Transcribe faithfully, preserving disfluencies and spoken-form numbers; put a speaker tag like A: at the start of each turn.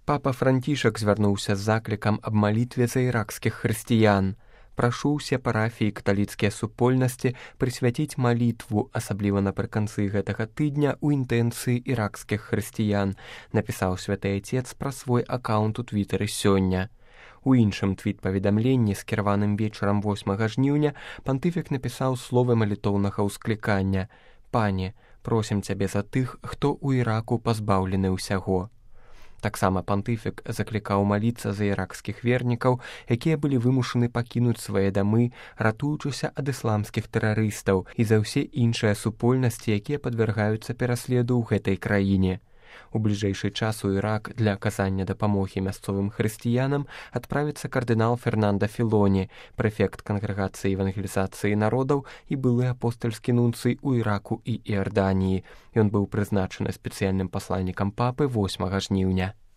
A: Папа Францішак звярнуўся з заклікам аб малітве за іракскіх хрысціян. Прашу ўсе парафіі каталіцкія супольнасці прысвяціць малітву, асабліва напрыканцы гэтага тыдня ў інтэнцыі іракскіх хрысціян, напісаў святы Айцец пра свой акаунт у твітары сёння. У іншым твіт-паведамленні, скіраваным вечарам восьмага жніўня, пантыфік напісаў словы малітоўнага ўсклікання: «Пане, просім цябе за тых, хто ў Іраку пазбаўлены ўсяго». Таксама пантыфік заклікаў маліцца за іракскіх вернікаў, якія былі вымушаны пакінуць свае дамы, ратуючыся ад ісламскіх тэрарыстаў, і за ўсе іншыя супольнасці, якія падвяргаюцца пераследу ў гэтай краіне. У бліжэйшы час у Ірак для аказання дапамогі мясцовым хрысціянам адправіцца кардынал Фернанда Філоні, прэфект кангрэгацыі евангелізацыі народаў і былы апостальскі нунцый у Іраку і Іарданіі. Ён быў прызначаны спецыяльным пасланнікам папы восьмага жніўня.